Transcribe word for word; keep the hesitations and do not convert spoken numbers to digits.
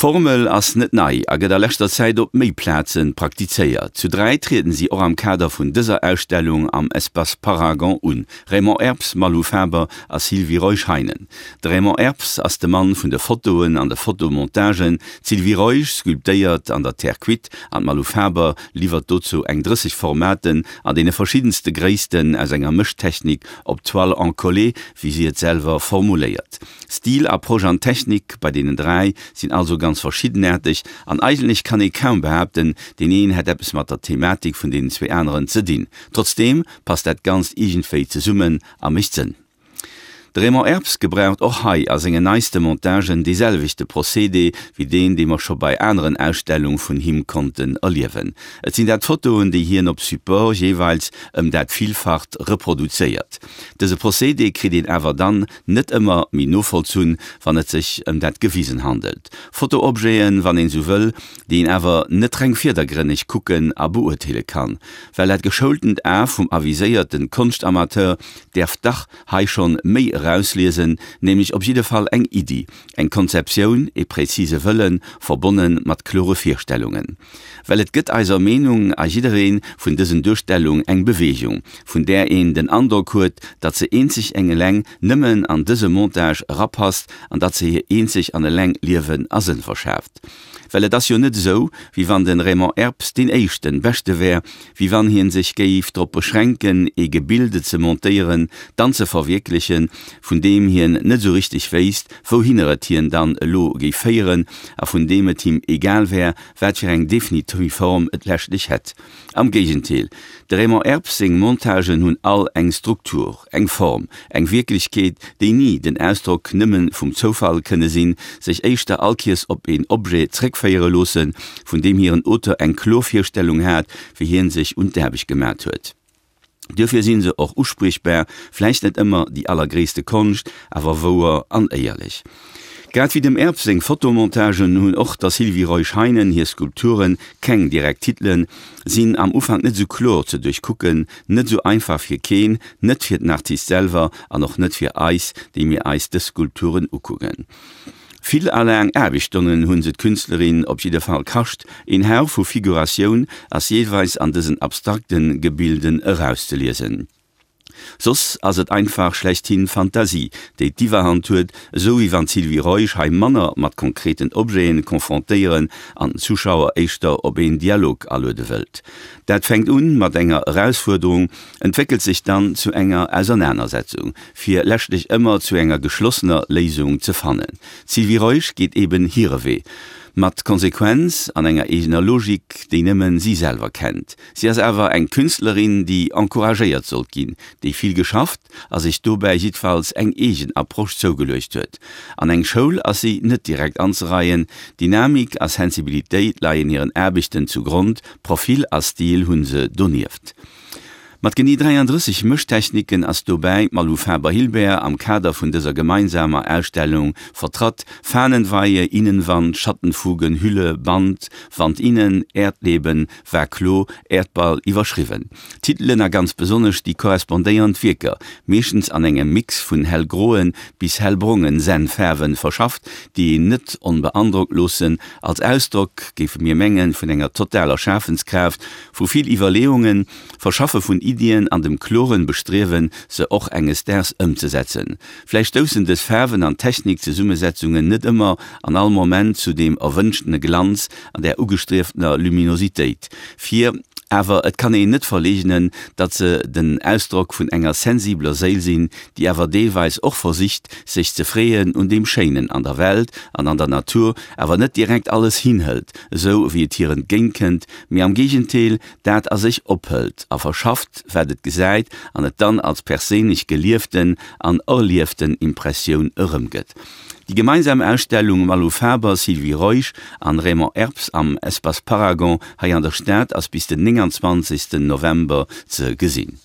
D'Formel ass net nei a gëtt a leschter Zäit op méi Plazen praktizéiert. Zu dräi trieden si och am Kader vun dëser Ausstellung am Espace Paragon un, Raymond Erps, Malou Faber a Sylvie Reusch-Heinen. De Raymond Erps ass de Mann vun de Fotoen an de Fotomontagen, d'Sylvie Reusch sculptéiert an der Terre cuite an d'Malou Faber liwwert dozou eng drësseg Formaten an deene verschiddenste Gréissten aus enger Mëschtechnik op Toile encollée, wéi si et selwer formuléiert. Stil, Approche an Technik bei deenen dräi sinn also ganz verschiddenaarteg an eigentlech kann ee kaum behaapten, deen een hätt eppes mat der Thematik vun deenen zwee aneren ze dinn. Trotzdeem passt dat Ganzt iergendwéi zesummen a mécht Sënn. De Raymond Erps gebraucht och hei a sengen neiste Montagen dee selwechte Procédé wéi deen, dee mer scho bei aneren Ausstellung vun him konnten erliewen. Et sinn dat Fotoen, déi hien op Support jeeweils ëm dat Villfacht reproduzéiert. Dëse Procédé kritt een awer dann net ëmmer méi novollzunn, wann et sech ëm dat Gewisen handelt. Fotoobjeten, wann een esou wëll, déi een awer net reng virdergrënneg kucken a beurteele kann. Well dat geschoultent A vum aviséierten Konschtamateur däerf dach hei schonn méi erausliesen, nämlech op jidde Fall eng Iddi, eng Konzeptioun, ee präzise Wëllen, verbonne mat klore Virstellungen. Well et gëtt eiser Meenung a jidderee vun dësen Duerstellung eng Bewegung, vun där een den Androck huet, datt se eenzeg eng eleng nëmmen an dëse Montage erapasst an datt se hir eenzeg an eleng Liewen a Sënn verschaaft. Well et ass jo net esou, wéi wann de Raymond Erps deen éischten, beschte wär, wéi wann hien sech géif drop beschränken, ee Gebilde ze montéieren, dann ze verwierklechen, vun deem hien net esou richteg wéisst, wouhinner et hien dann elo géif féieren a vun deem et him egal wär, wat fir eng definitiv Form et leschtlech hätt. Am Géigentéel, de Raymond Erps seng Montagen hunn all eng Struktur, eng Form, eng Wierklechkeet, déi ni den Ausdrock nëmme vum Zoufall kënne sinn, sech éischter allkiers op een Objet zréckféiere loossen, vun deem hiren Auteur eng kloer Virstellung hat, wéi hien sech un d'Aarbecht gemat huet. Duerfir si se och uspriechbar, vläicht net ëmmer déi allergréisste Konscht, awer wouer an éierlech. Grad wéi dem Erb seng Fotomontagen hunn och der Sylvie Reusch-Heinen hir Skulpture keng direkt Titelen, sinn am Ufank net esou kloer ze duerchkucken, net esou einfach fir keen, net fir den Artist selwer an och net fir eis, déi mir eis dës Skulpturen ukucken. Vill a laang Aarbechtsstonnen hu se d'Künstlerin op jidde Fall kascht, een Hauch vu Figuratioun ass jeeweils an dësen abstrakte Gebilden erauszeliesen. Soss ass et einfach schlechthin Fantasie, déi d'Iwwerhand huet, esou wéi wann d'Sylvie Reusch hei manner mat konkreten Objeten konfrontéieren an den Zuschauer éischter op een Dialog aluede wëllt. Dat fänkt un mat enger Erausfuerderung, entwéckelt sech dann zu enger Ausernanersetzung, fir leschtlech ëmmer zu enger geschlossener Léisung ze fannen. D'Sylvie Reusch geet eben hire Wee, mat Konsequenz an enger eegener Logik, déi nëmmen si selwer kennt. Si ass awer eng Künstlerin, déi encouragéiert sollt ginn, déi vill geschafft a sech dobäi jiddfalls eng eegen Approche zougeluecht huet. An eng Schoul ass si net direkt anzereien, Dynamik a Sensibilitéit leien hiren Aarbechten zu Grond, Profil a Stil hu se donieft. Mat genee dräiandrësseg Mëschtechniken ass dobäi d'Malou Faber-Hilbert am Kader vun dëser gemeinsamer Ausstellung vertratt, Fahnenweihe, Innenwand, Schattenfugen, Hülle, Band, Wand innen, Erdleben, Vase clos, Erdball iwwerschriwwen. D'Titelen a ganz besonnesch déi korrespondéiernd Wierker, meeschtens an engem Mix vun hellgroen bis hellbrongen Sennfaarwen verschafft, déi een net onbeandrockt loossen, als Ausdrock, géife mir mengen, vun enger totaler Schafenskraaft, vu vill Iwwerleeungen, Verschaffe vun Iddien an dem kloren Bestriewen, se och enges Daags ëmzesetzen. Vläicht stoussen dës Faarwen an Technikzesummesetzungen net ëmmer an all Moment zu deem erwënschtene Glanz an där ugestrieftener Luminositéit vir, awer et kann een net verleegnen, datt se den Ausdrock vun enger sensibeler Séil sinn, déi awer deelweis och versicht, sech ze freeën un deem Schéinen an der Welt an an der Natur, awer net direkt alles hinhëlt, esou wéi et hir entgéintkënnt, mee am Géigentéel dat a sech ophëlt a verschafft, wat et gesäit, an et dann als perséinlech gelieften an erlieften Impressioun erëmgëtt. Déi gemeinsam Ausstellung Malou Faber, Sylvie Reusch an Raymond Erps am Espace Paragon hei an der Stad ass bis den nénganzwanzegsten November ze gesinn.